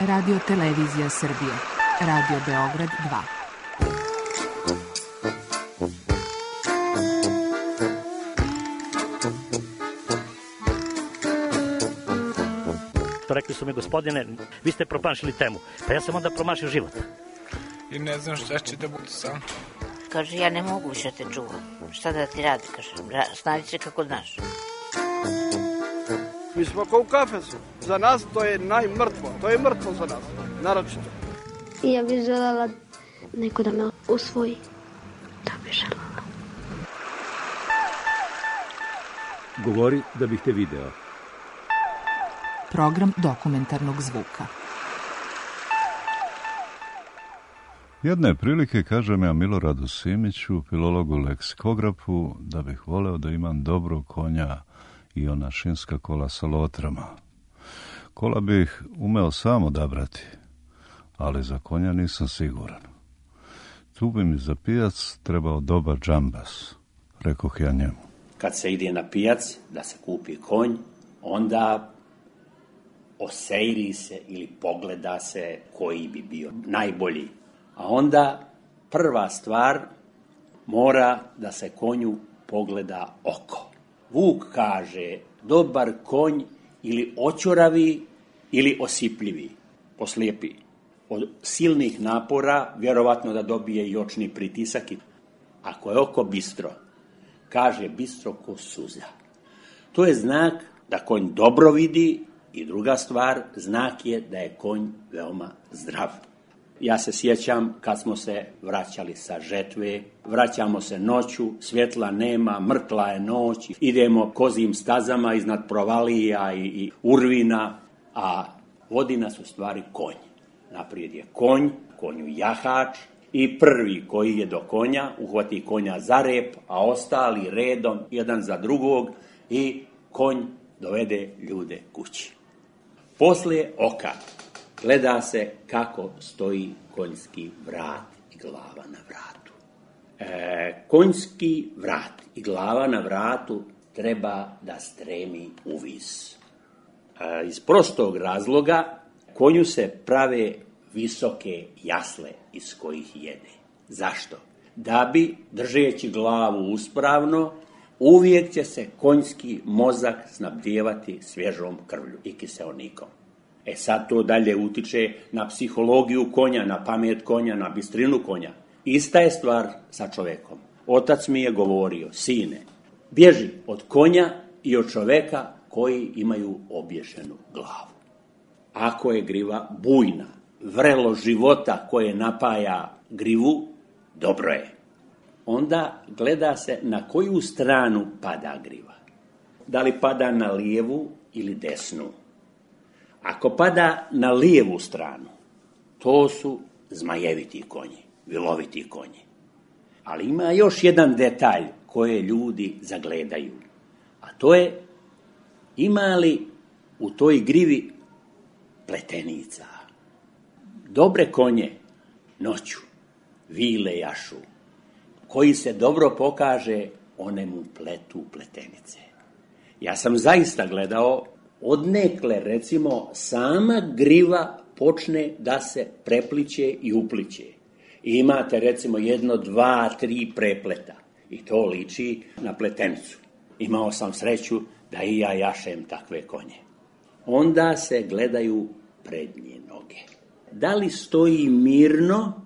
Radio Televizija Srbije. Radio Beograd 2. Rekli su mi, gospodine, vi ste promašili temu. Pa ja sam onda promašio život. I ne znam šta će da bude sam. Kaže, ja ne mogu više te čuvam. Šta da ti radi, kaže, snađi se kako znaš. Mi smo kao u kafesu. Za nas to je najmrtvo. To je mrtvo za nas, naročito. Ja bih želela neko da me usvoji. Da bih želela. Govori da bih te video. Program dokumentarnog zvuka. Jedne prilike kažem ja Miloradu Simiću, filologu leksikografu, da bih voleo da imam dobrog konja i ona šinska kola sa lotrama. Kola bih umeo sam odabrati, ali za konja nisam siguran. Tu bi mi za pijac trebao dobar džambas, rekoh ja njemu. Kad se ide na pijac da se kupi konj, onda osejri se ili pogleda se koji bi bio najbolji. A onda prva stvar mora da se konju pogleda oko. Vuk kaže dobar konj ili oćoravi ili osipljivi, poslijepi. Od silnih napora vjerovatno da dobije i očni pritisak. Ako je oko bistro, kaže bistro ko suza. To je znak da konj dobro vidi i druga stvar, znak je da je konj veoma zdrav. Ja se sjećam kad smo se vraćali sa žetve, vraćamo se noću, svjetla nema, mrtla je noć, idemo kozim stazama iznad provalija i urvina, a vodi nas u stvari konj. Naprijed je konju jahač i prvi koji je do konja, uhvati konja za rep, a ostali redom jedan za drugog i konj dovede ljude kući. Poslije oka gleda se kako stoji konjski vrat i glava na vratu. Konjski vrat i glava na vratu treba da stremi uvis. Iz prostog razloga konju se prave visoke jasle iz kojih jede. Zašto? Da bi, držeći glavu uspravno, uvijek će se konjski mozak snabdijevati svježom krvlju i kiseonikom. Sad to dalje utiče na psihologiju konja, na pamet konja, na bistrinu konja. Ista je stvar sa čovekom. Otac mi je govorio, sine, bježi od konja i od čoveka koji imaju obješenu glavu. Ako je griva bujna, vrelo života koje napaja grivu, dobro je. Onda gleda se na koju stranu pada griva. Da li pada na lijevu ili desnu. Ako pada na lijevu stranu, to su zmajeviti konji, viloviti konji. Ali ima još jedan detalj koje ljudi zagledaju, a to je ima li u toj grivi pletenica. Dobre konje noću vile jašu, koji se dobro pokaže, one mu pletu pletenice. Ja sam zaista gledao, odnekle recimo sama griva počne da se prepliće i upliće. I imate recimo 1, 2, 3 prepleta i to liči na pletenicu. Imao sam sreću da i ja jašem takve konje. Onda se gledaju prednje noge. Da li stoji mirno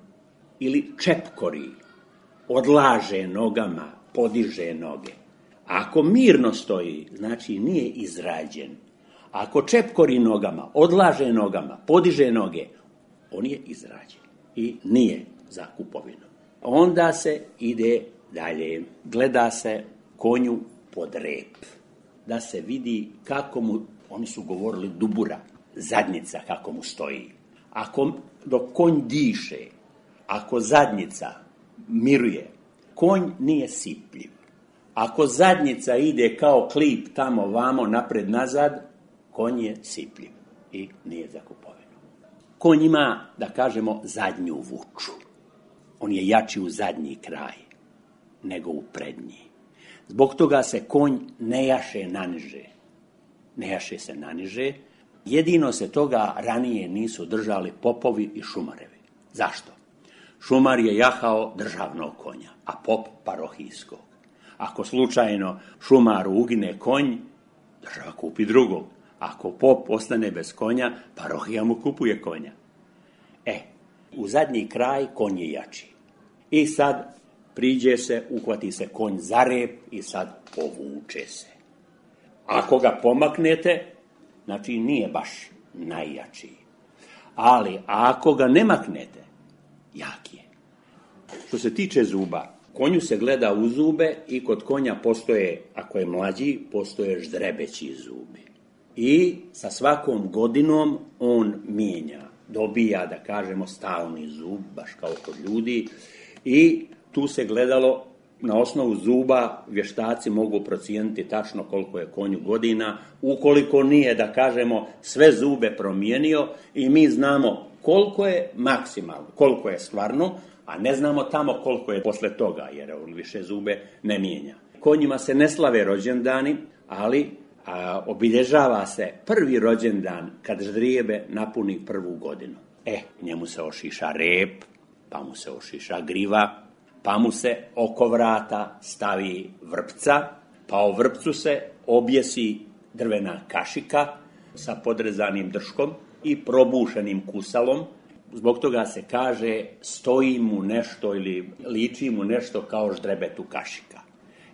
ili čepkori, odlaže nogama, podiže noge. Ako mirno stoji, znači nije izrađen. Ako čepkori nogama, odlaže nogama, podiže noge, on je izrađen i nije za kupovinu. Onda se ide dalje, gleda se konju pod rep, da se vidi kako mu, oni su govorili dubura, zadnjica kako mu stoji. Dok konj diše, ako zadnjica miruje, konj nije sipljiv. Ako zadnjica ide kao klip tamo vamo napred nazad, konj je sipljiv i nije za kupovinu. Konj ima, da kažemo, zadnju vuču. On je jači u zadnji kraj nego u prednji. Zbog toga se konj ne jaše naniže. Ne jaše se naniže, Jedino se toga ranije nisu držali popovi i šumarevi. Zašto? Šumar je jahao državnog konja, a pop parohijskog. Ako slučajno šumaru ugine konj, država kupi drugog. Ako pop ostane bez konja, parohija mu kupuje konja. U zadnji kraj konj je jači. I sad priđe se, uhvati se konj za rep i sad povuče se. Ako ga pomaknete, znači nije baš najjačiji. Ali ako ga ne maknete, jak je. Što se tiče zuba, konju se gleda u zube i kod konja postoje, ako je mlađi, postoje ždrebeći zubi. I sa svakom godinom on mijenja, dobija, da kažemo, stalni zub, baš kao kod ljudi. I tu se gledalo, na osnovu zuba vještaci mogu procijeniti tačno koliko je konju godina, ukoliko nije, da kažemo, sve zube promijenio i mi znamo koliko je maksimalno, koliko je stvarno, a ne znamo tamo koliko je posle toga, jer on više zube ne mijenja. Konjima se ne slave rođendani, ali obilježava se prvi rođendan kad ždrijebe napuni prvu godinu. Njemu se ošiša rep, pa mu se ošiša griva, pa mu se oko vrata stavi vrpca, pa o vrpcu se objesi drvena kašika sa podrezanim drškom i probušenim kusalom. Zbog toga se kaže stoji mu nešto ili liči mu nešto kao ždrebetu kašika.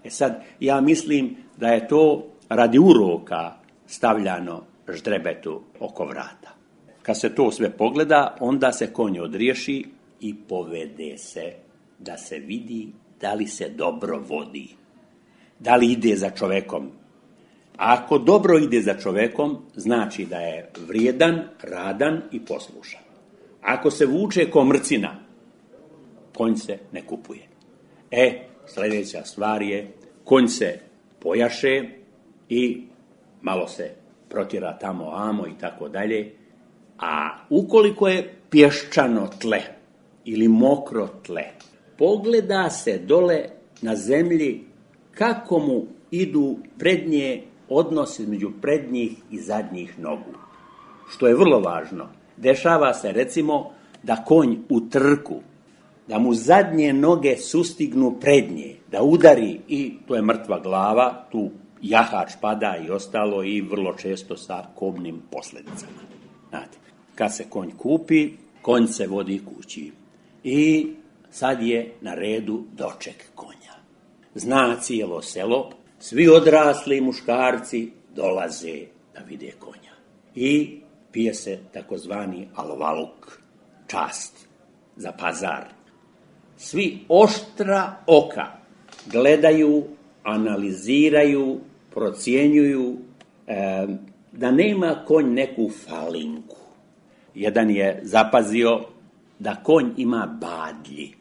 Sad, ja mislim da je to radi uroka stavljano ždrebetu oko vrata. Kad se to sve pogleda, onda se konj odriješi i povede se da se vidi da li se dobro vodi, da li ide za čovekom. Ako dobro ide za čovekom, znači da je vrijedan, radan i poslušan. Ako se vuče ko mrcina, konj se ne kupuje. Sljedeća stvar je, konj se pojaše i malo se protjera tamo amo i tako dalje, a ukoliko je pješčano tle ili mokro tle, pogleda se dole na zemlji kako mu idu prednje odnosi između prednjih i zadnjih nogu. Što je vrlo važno. Dešava se recimo da konj u trku, da mu zadnje noge sustignu prednje, da udari i to je mrtva glava, tu jahač pada i ostalo i vrlo često sa kobnim posljedicama. Znate, kad se konj kupi, konj se vodi kući. I sad je na redu doček konja. Zna cijelo selo, svi odrasli muškarci dolaze da vide konja. I pije se takozvani alvaluk, čast za pazar. Svi oštra oka gledaju, analiziraju, procjenjuju da nema konj neku falinku. Jedan je zapazio da konj ima badlji.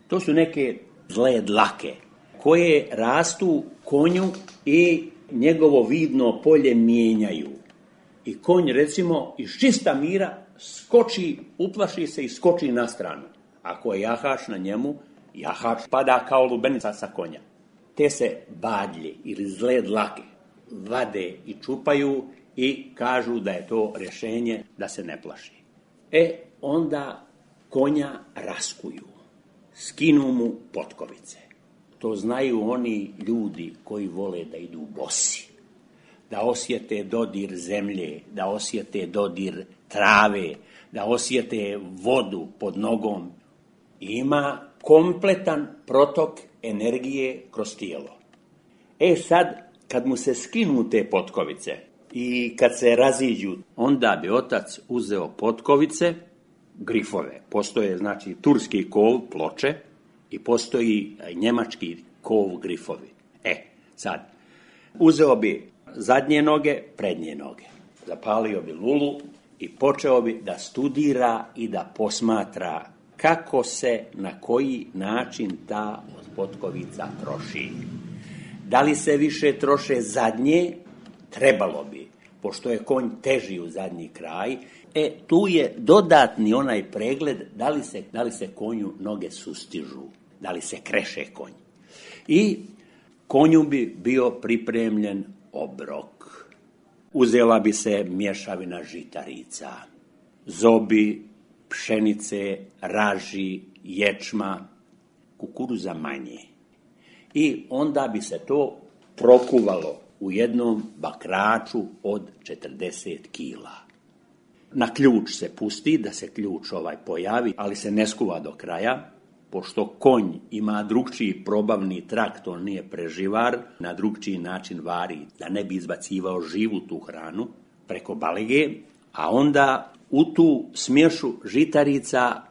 To su neke zle dlake koje rastu konju i njegovo vidno polje mijenjaju. I konj, recimo, iz čista mira skoči, uplaši se i skoči na stranu. Ako je jahač na njemu, jahač pada kao lubenica sa konja. Te se badlje ili zle dlake vade i čupaju i kažu da je to rješenje da se ne plaši. Onda konja raskuju, skinu mu potkovice. To znaju oni ljudi koji vole da idu bosi, da osjete dodir zemlje, da osjete dodir trave, da osjete vodu pod nogom. Ima kompletan protok energije kroz tijelo. Sad, kad mu se skinu te potkovice i kad se raziđu, onda bi otac uzeo potkovice, grifove. Postoje, znači, turski kov, ploče, i postoji njemački kov, grifovi. Sad, uzeo bi zadnje noge, prednje noge. Zapalio bi lulu i počeo bi da studira i da posmatra kako se, na koji način ta potkovica troši. Da li se više troše zadnje? Trebalo bi, pošto je konj teži u zadnji kraj. Tu je dodatni onaj pregled da li se konju noge sustižu, da li se kreše konj. I konju bi bio pripremljen obrok. uzela bi se mješavina žitarica, zobi, pšenice, raži, ječma, kukuruza manje. I onda bi se to prokuvalo u jednom bakraču od 40 kila. Na ključ se pusti, da se ključ pojavi, ali se ne skuva do kraja, pošto konj ima drugčiji probavni trakt, on nije preživar, na drugčiji način vari, da ne bi izbacivao živu tu hranu preko balege, a onda u tu smješu žitarica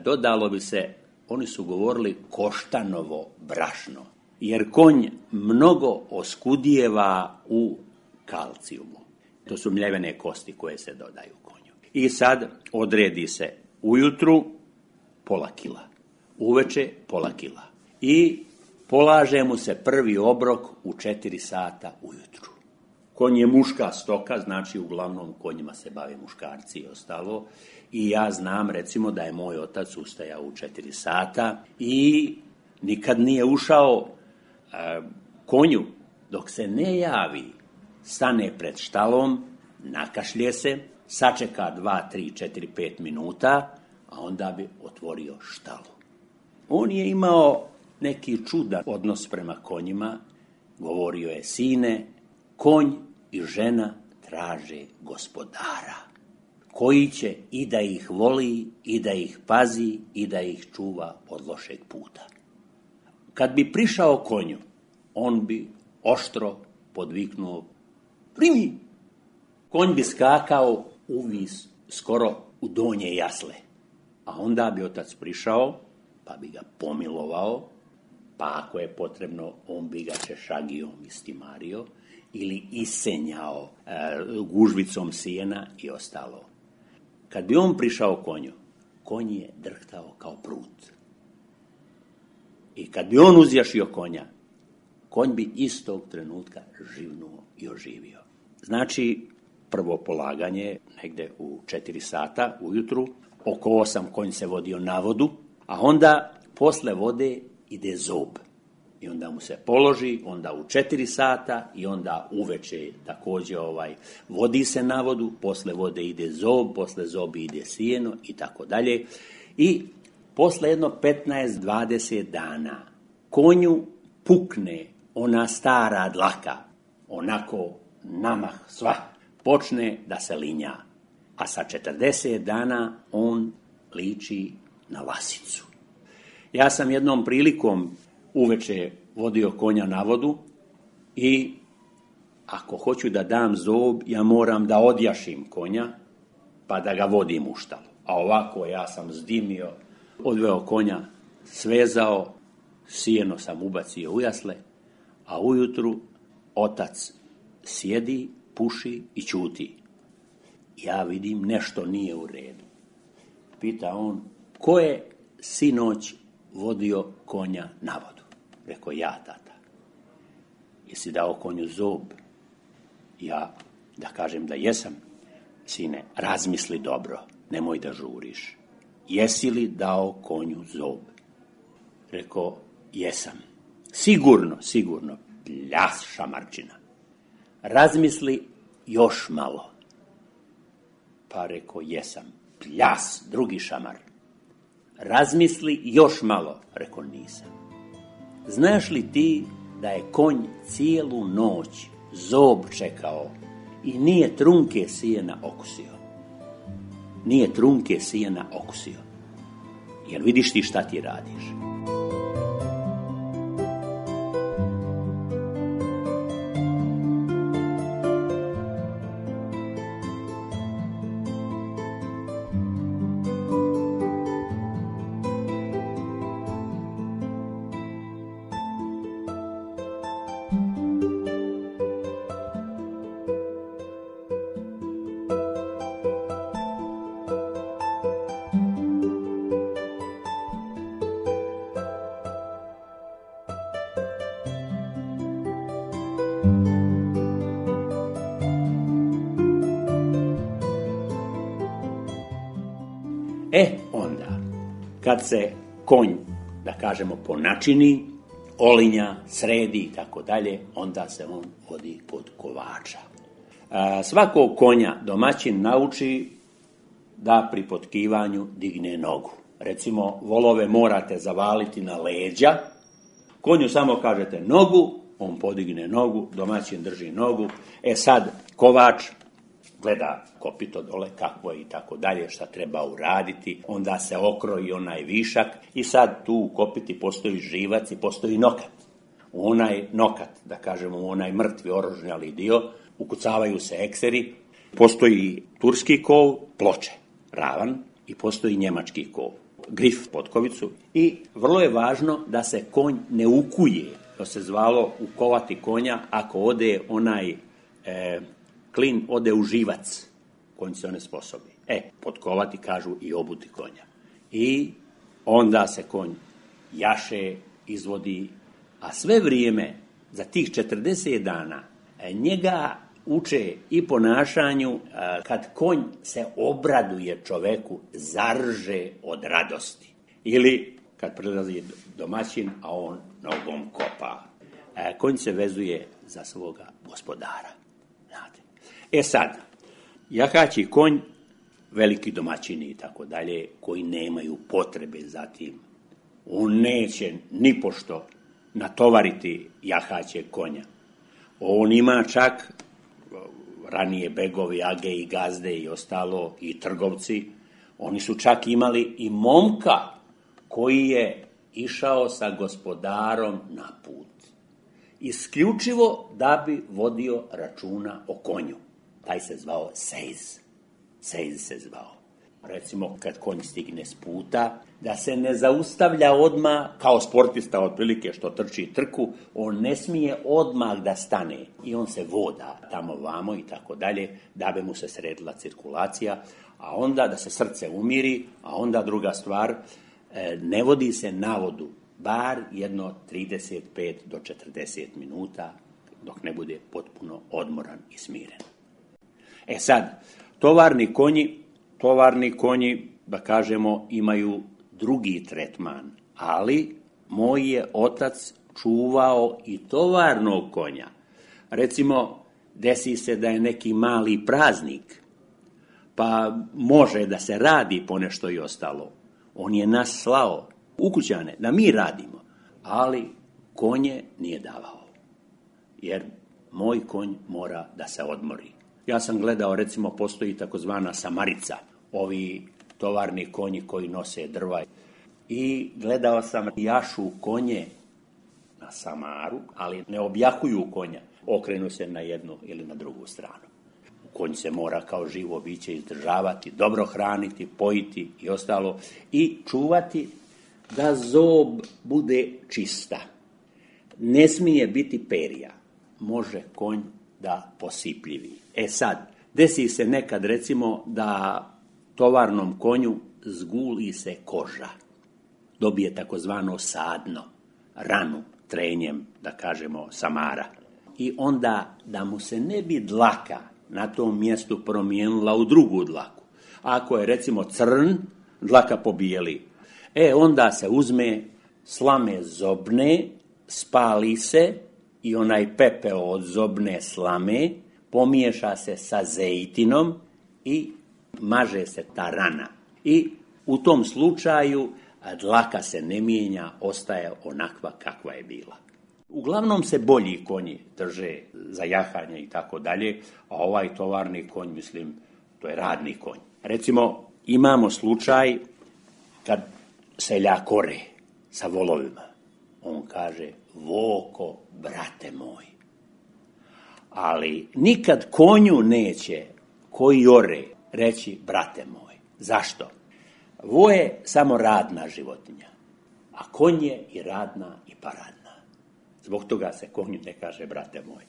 dodalo bi se, oni su govorili, koštanovo brašno, jer konj mnogo oskudijeva u kalcijumu. To su mljevene kosti koje se dodaju konju. I sad odredi se ujutru pola kila, uveče pola kila. I polaže mu se prvi obrok u 4 sata ujutru. Konj je muška stoka, znači uglavnom konjima se bave muškarci i ostalo. I ja znam, recimo, da je moj otac ustajao u 4 sata i nikad nije ušao konju dok se ne javi. Stane pred štalom, nakašlje se, sačeka 2, 3, 4, 5 minuta, a onda bi otvorio štalu. On je imao neki čudan odnos prema konjima. Govorio je: sine, konj i žena traže gospodara, koji će i da ih voli, i da ih pazi, i da ih čuva od lošeg puta. Kad bi prišao konju, on bi oštro podviknuo: primi! Konj bi skakao uvis skoro u donje jasle. A onda bi otac prišao, pa bi ga pomilovao, pa ako je potrebno, on bi ga češagijom istimario ili isenjao gužvicom sijena i ostalo. Kad bi on prišao konju, konj je drhtao kao prut. I kad bi on uzjašio konja, konj bi istog trenutka živnuo i oživio. Znači, prvo polaganje negde u 4 sata ujutru, oko 8 konj se vodio na vodu, a onda posle vode ide zob. I onda mu se položi, onda u 4 sata i onda uveče također vodi se na vodu, posle vode ide zob, posle zobi ide sijeno i tako dalje. I posle jedno 15-20 dana konju pukne ona stara dlaka, onako namah sva, počne da se linja. A sa 40 dana on liči na lasicu. Ja sam jednom prilikom uveče vodio konja na vodu i ako hoću da dam zob, ja moram da odjašim konja pa da ga vodim u štalu. A ovako ja sam zdimio, odveo konja, svezao, sijeno sam ubacio u jasle, a ujutru otac sjedi, puši i ćuti. Ja vidim nešto nije u redu. Pita on: ko je sinoć vodio konja na vodu? Rekao: ja, tata. Jesi dao konju zob? Ja da kažem da jesam. Sine, razmisli dobro, nemoj da žuriš. Jesi li dao konju zob? Rekao: jesam. Sigurno, pljas šamarčina. Razmisli još malo. Pa rekao: jesam. Pljas, drugi šamar. Razmisli još malo. Rekao: nisam. Znaš li ti da je konj cijelu noć zob čekao i nije trunke sijena okusio? Jer vidiš ti šta ti radiš? Onda, kad se konj, da kažemo, ponačini, olinja, sredi i tako dalje, onda se on vodi kod kovača. Svakog konja domaćin nauči da pri potkivanju digne nogu. Recimo, volove morate zavaliti na leđa, konju samo kažete nogu, on podigne nogu, domaćin drži nogu. Sad, kovač gleda kopito dole, kakvo je i tako dalje, šta treba uraditi, onda se okroji onaj višak i sad tu u kopiti postoji živac i postoji nokat. U onaj nokat, da kažemo, u onaj mrtvi orožnjali dio, ukucavaju se ekseri, postoji turski kov, ploče, ravan, i postoji njemački kov, grif, potkovicu, i vrlo je važno da se konj ne ukuje. To se zvalo ukovati konja ako ode onaj klin, ode u živac, konj se onesposobi. Potkovati, kažu, i obuti konja. I onda se konj jaše, izvodi, a sve vrijeme, za tih 40 dana, njega uče i ponašanju. Kad konj se obraduje čoveku, zarže od radosti. Ili kad prilazi domaćin, a on nogom kopa. Konj se vezuje za svoga gospodara. Znate. Sad, jahaći konj, veliki domaćini i tako dalje, koji nemaju potrebe za tim, on neće nipošto natovariti jahaće konja. On ima čak, ranije begovi, age i gazde i ostalo, i trgovci, oni su čak imali i momka koji je išao sa gospodarom na put. Isključivo da bi vodio računa o konju. Taj se zvao sejz. Sejz se zvao. Recimo, kad konj stigne s puta, da se ne zaustavlja odmah, kao sportista otprilike što trči trku, on ne smije odmah da stane i on se voda tamo vamo i tako dalje, da bi mu se sredila cirkulacija, a onda da se srce umiri, a onda druga stvar, ne vodi se na vodu, bar jedno 35 do 40 minuta, dok ne bude potpuno odmoran i smiren. Sad, tovarni konji, da kažemo, imaju drugi tretman, ali moj je otac čuvao i tovarnog konja. Recimo, desi se da je neki mali praznik, pa može da se radi ponešto i ostalo. On je nas slao u kućane da mi radimo, ali konje nije davao, jer moj konj mora da se odmori. Ja sam gledao, recimo, postoji takozvana samarica, ovi tovarni konji koji nose drva, i gledao sam jašu konje na samaru, ali ne objahuju konja, okrenu se na jednu ili na drugu stranu. Konj se mora kao živo biće izdržavati, dobro hraniti, pojiti i ostalo, i čuvati da zob bude čista. Ne smije biti perja, može konj da posipljivi. Sad, desi se nekad, recimo, da tovarnom konju zguli se koža, dobije takozvano sadno, ranu, trenjem, da kažemo, samara. I onda, da mu se ne bi dlaka na tom mjestu promijenila u drugu dlaku. Ako je, recimo, crn, dlaka pobijeli. Onda se uzme slame zobne, spali se i onaj pepeo od zobne slame pomiješa se sa zejtinom i maže se ta rana. I u tom slučaju dlaka se ne mijenja, ostaje onakva kakva je bila. Uglavnom se bolji konji drže za jahanje i tako dalje, a ovaj tovarni konj, mislim, to je radni konj. Recimo, imamo slučaj kad seljak ore sa volovima. On kaže, Voko, brate moj. Ali nikad konju neće, koji ore, reći brate moj. Zašto? Vo je samo radna životinja, a konj je i radna i paradna. Zbog toga se konju ne kaže brate moj.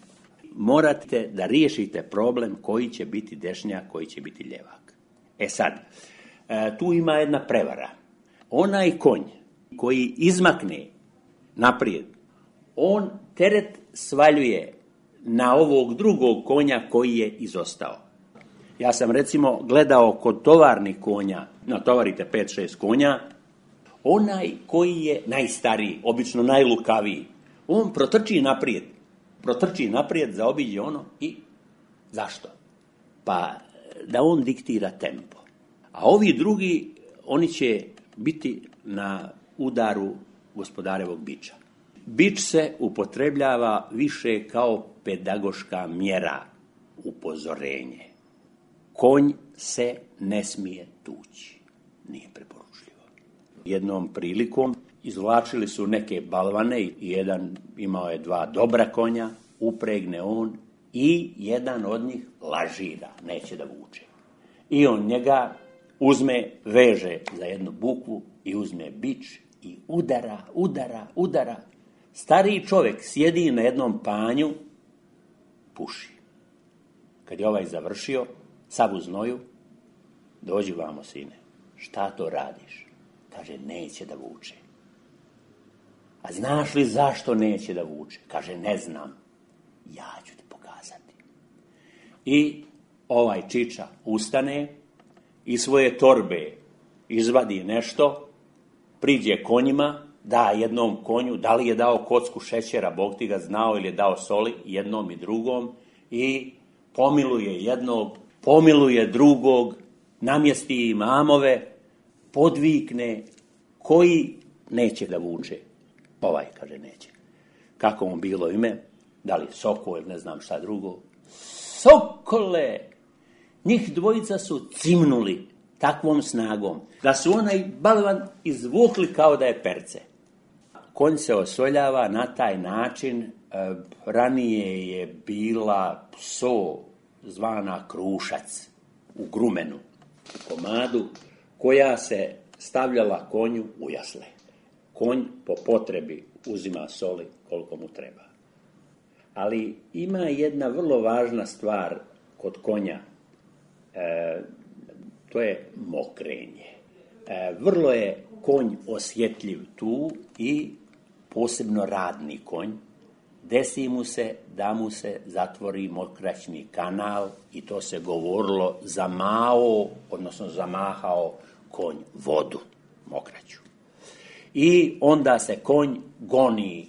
Morate da riješite problem koji će biti dešnjak, koji će biti ljevak. Sad, tu ima jedna prevara. Onaj konj koji izmakne naprijed, on teret svaljuje na ovog drugog konja koji je izostao. Ja sam, recimo, gledao kod tovarnih konja, natovarite 5-6 konja, onaj koji je najstariji, obično najlukaviji, on protrči naprijed, zaobiđe ono i Zašto? Pa da on diktira tempo. A ovi drugi, oni će biti na udaru gospodarevog biča. Bič se upotrebljava više kao pedagoška mjera, upozorenje. Konj se ne smije tući. Nije preporučljivo. Jednom prilikom izvlačili su neke balvane i jedan imao je 2 dobra konja, upregne on i jedan od njih lažira, neće da vuče. I on njega uzme, veže za jednu bukvu i uzme bič i udara. Stariji čovjek sjedi na jednom panju, puši. Kad je ovaj završio, sav u znoju, dođi vamo, sine, šta to radiš? Kaže, neće da vuče. A znaš li zašto neće da vuče? Kaže, ne znam, ja ću ti pokazati. I ovaj čiča ustane, iz svoje torbe izvadi nešto, priđe konjima, da jednom konju, da li je dao kocku šećera, Bog ti ga znao, ili je dao soli, jednom i drugom, i pomiluje jednog, pomiluje drugog, namjesti im amove, podvikne, koji neće da vuče. Ovaj, kaže, neće. Kako mu bilo ime? Da li Sokol ili ne znam šta drugo? Sokole! Njih dvojica su cimnuli takvom snagom, da su onaj balvan izvukli kao da je perce. Konj se osoljava na taj način. Ranije je bila so zvana krušac u grumenu, u komadu, koja se stavljala konju u jasle. Konj po potrebi uzima soli koliko mu treba. Ali ima jedna vrlo važna stvar kod konja, to je mokrenje. Vrlo je konj osjetljiv tu i posebno radni konj. Desi mu se da mu se zatvori mokraćni kanal i to se govorilo zamahao konj vodu, mokraću. I onda se konj goni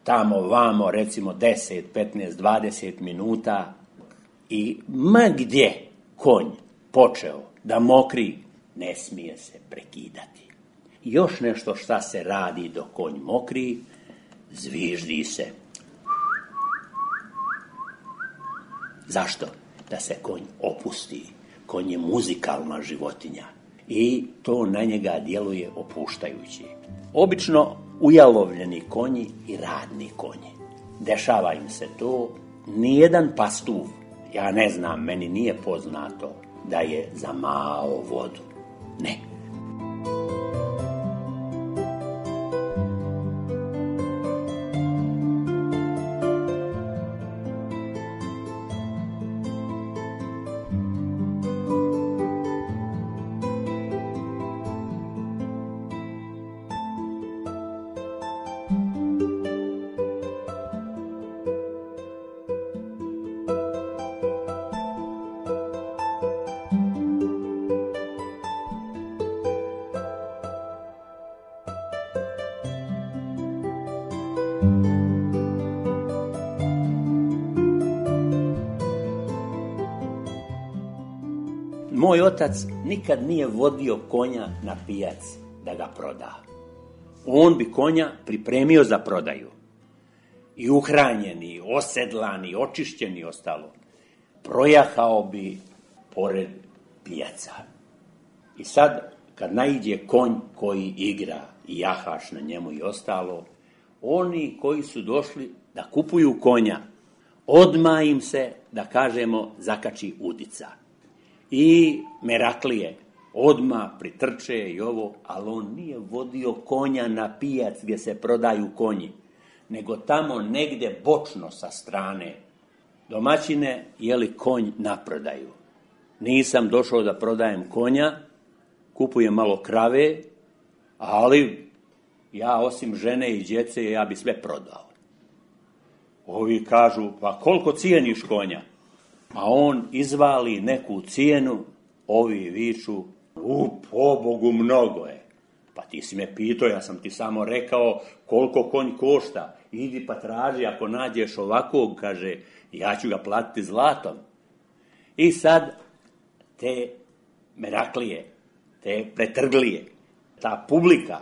tamo vamo, recimo 10, 15, 20 minuta i ma gdje konj počeo da mokri, ne smije se prekidati. Još nešto šta se radi dok konj mokri, zviždi se. Zašto? Da se konj opusti. Konj je muzikalna životinja i to na njega djeluje opuštajući. Obično ujalovljeni konji i radni konji. Dešava im se to, nijedan pastuv, ja ne znam, meni nije poznato da je zamao vodu. Ne. Moj otac nikad nije vodio konja na pijac da ga proda. On bi konja pripremio za prodaju. I uhranjen, i osedlan, i očišćen i ostalo. Projahao bi pored pijaca. I sad, kad naiđe konj koji igra i jahaš na njemu i ostalo, oni koji su došli da kupuju konja, odmah im se, da kažemo, zakači udica. I Meraklije odmah pritrče i ovo, ali on nije vodio konja na pijac gdje se prodaju konji, nego tamo negdje bočno sa strane. Domaćine, je li konj na prodaju? Nisam došao da prodajem konja, kupujem malo krave, ali ja osim žene i djece, ja bi sve prodao. Ovi kažu, pa koliko cijeniš konja? A on izvali neku cijenu, ovi viču, pobogu mnogo je. Pa ti si me pitao, ja sam ti samo rekao koliko konj košta. Idi pa traži, ako nađeš ovakvog, kaže, ja ću ga platiti zlatom. I sad te meraklije, te pretrglije, ta publika,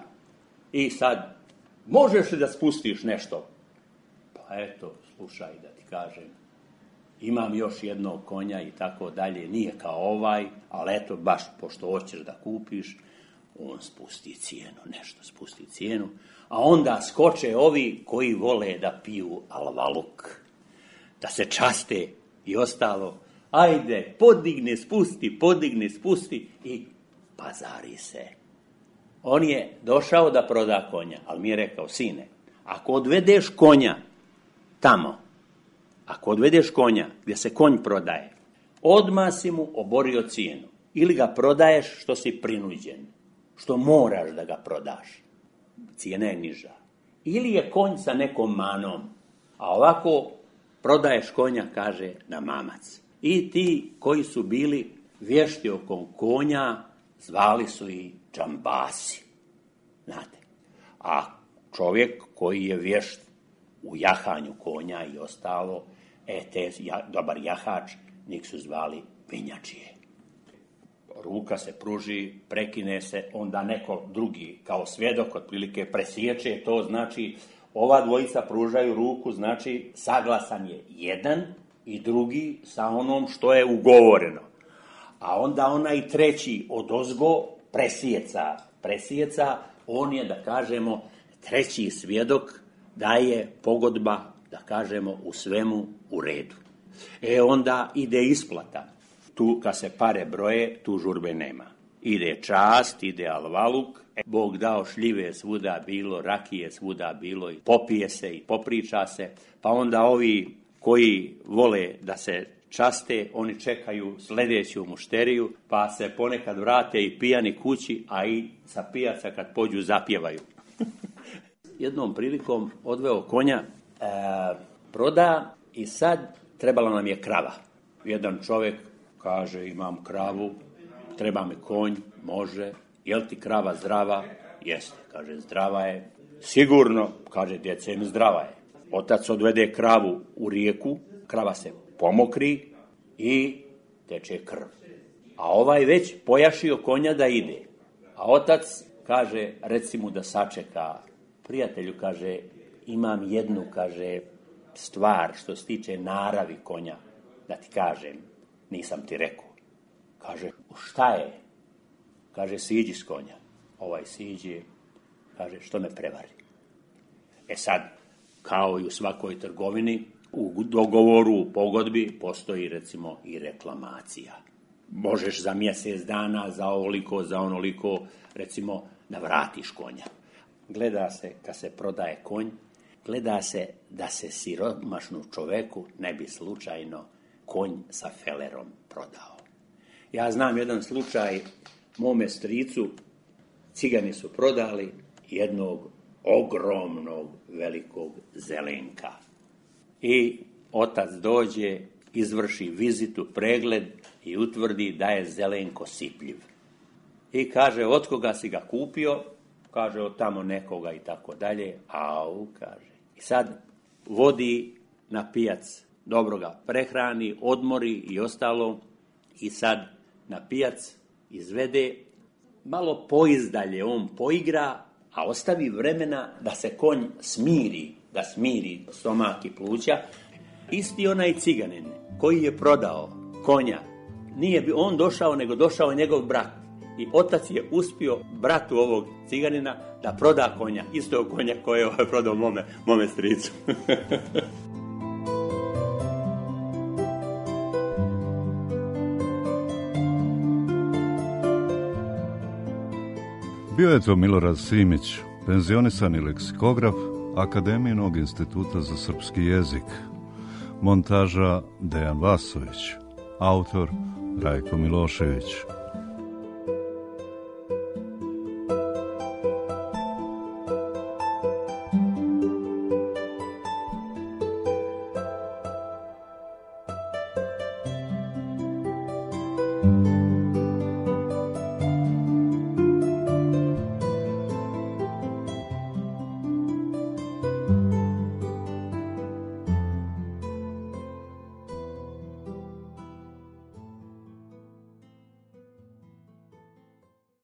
i sad, možeš li da spustiš nešto? Pa eto, slušaj da ti kažem, imam još jednog konja i tako dalje, nije kao ovaj, ali eto, baš pošto hoćeš da kupiš, on spusti cijenu, nešto spusti cijenu, a onda skoče ovi koji vole da piju alvaluk, da se časte i ostalo, ajde, podigne, spusti i pazari se. On je došao da proda konja, ali mi je rekao, sine, ako odvedeš konja tamo, ako odvedeš konja gdje se konj prodaje, odmah si mu oborio cijenu. Ili ga prodaješ što si prinuđen, što moraš da ga prodaš. Cijena je niža. Ili je konj sa nekom manom, a ovako prodaješ konja, kaže, na mamac. I ti koji su bili vješti oko konja, zvali su i džambasi. Znate, a čovjek koji je vješt u jahanju konja i ostalo, dobar jahač, njih su zvali vinjačije. Ruka se pruži, prekine se, onda neko drugi kao svjedok otprilike presječe, to znači ova dvojica pružaju ruku, znači saglasan je jedan i drugi sa onom što je ugovoreno. A onda onaj treći odozgo presjeca, on je, da kažemo, treći svjedok da je pogodba, da kažemo, u svemu u redu. Onda ide isplata. Tu, kad se pare broje, tu žurbe nema. Ide čast, ide alvaluk, Bog dao šljive svuda bilo, rakije svuda bilo, i popije se i popriča se, pa onda ovi koji vole da se časte, oni čekaju sljedeću mušteriju, pa se ponekad vrate i pijani kući, a i sa pijaca kad pođu zapjevaju. Jednom prilikom odveo konja, proda, i sad trebala nam je krava. Jedan čovjek kaže, imam kravu, treba mi konj, može, jel ti krava zdrava? Jeste, kaže, zdrava je. Sigurno, kaže, djece mi zdrava je. Otac odvede kravu u rijeku, krava se pomokri i teče krv. A ovaj već pojašio konja da ide. A otac kaže, reci mu da sačeka. Prijatelju, kaže, imam jednu, kaže, stvar što se tiče naravi konja, da ti kažem, nisam ti rekao. Kaže, šta je? Kaže, siđi s konja. Ovaj siđe, kaže, što me prevari? Sad, kao i u svakoj trgovini, u dogovoru, u pogodbi, postoji, recimo, i reklamacija. Možeš za mjesec dana, za ovoliko, za onoliko, recimo, da vratiš konja. Gleda se, kad se prodaje konj, gleda se da se siromašnu čoveku ne bi slučajno konj sa felerom prodao. Ja znam jedan slučaj, mome stricu, cigani su prodali jednog ogromnog velikog zelenka. I otac dođe, izvrši vizitu, pregled i utvrdi da je zelenko sipljiv. I kaže, od koga si ga kupio? Kaže, od tamo nekoga i tako dalje. Au, kaže. I sad vodi na pijac, dobro ga prehrani, odmori i ostalo. I sad na pijac izvede, malo poizdalje on poigra, a ostavi vremena da se konj smiri, da smiri stomak i pluća. Isti onaj ciganin koji je prodao konja, nije bi on došao, nego došao njegov brat. I otac je uspio bratu ovog ciganina da proda konja, istog konja koje je prodao mome stricu. Bio je to Milorad Simić, penzionisani leksikograf Akademijinog instituta za srpski jezik. Montaža Dejan Vasović, autor Rajko Milošević.